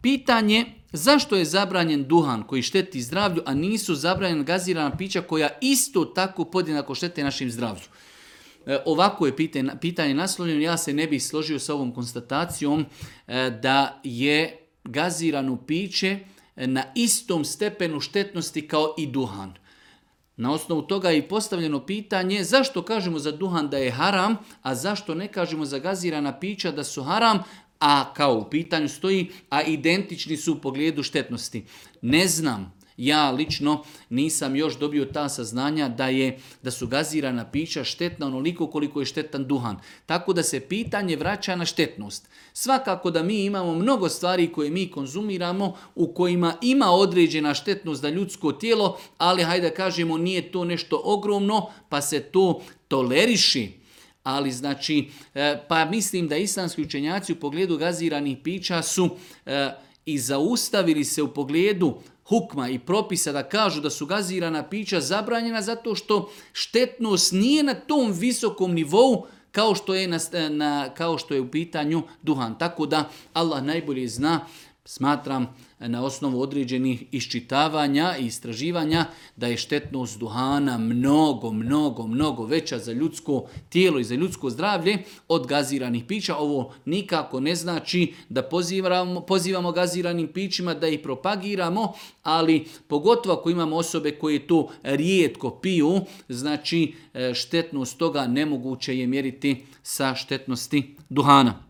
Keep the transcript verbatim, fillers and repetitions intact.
Pitanje zašto je zabranjen duhan koji šteti zdravlju, a nisu zabranjena gazirana pića koja isto tako podjednako štete našim zdravlju. E, ovako je pitanje, pitanje naslovljeno, ja se ne bih složio sa ovom konstatacijom e, da je gazirano piće na istom stepenu štetnosti kao i duhan. Na osnovu toga je i postavljeno pitanje zašto kažemo za duhan da je haram, a zašto ne kažemo za gazirana pića da su haram, a kao u pitanju stoji, a identični su u pogledu štetnosti. Ne znam, ja lično nisam još dobio ta saznanja da je da su gazirana pića štetna onoliko koliko je štetan duhan. Tako da se pitanje vraća na štetnost. Svakako da mi imamo mnogo stvari koje mi konzumiramo u kojima ima određena štetnost za ljudsko tijelo, ali hajde da kažemo nije to nešto ogromno pa se to toleriši. Ali znači, pa mislim da islamski učenjaci u pogledu gaziranih pića su e, i zaustavili se u pogledu hukma i propisa da kažu da su gazirana pića zabranjena zato što štetnost nije na tom visokom nivou kao što je, na, na, kao što je u pitanju duhan. Tako da Allah najbolje zna, smatram na osnovu određenih iščitavanja i istraživanja da je štetnost duhana mnogo, mnogo, mnogo veća za ljudsko tijelo i za ljudsko zdravlje od gaziranih pića. Ovo nikako ne znači da pozivamo, pozivamo gaziranim pićima, da ih propagiramo, ali pogotovo ako imamo osobe koje to rijetko piju, znači štetnost toga nemoguće je mjeriti sa štetnosti duhana.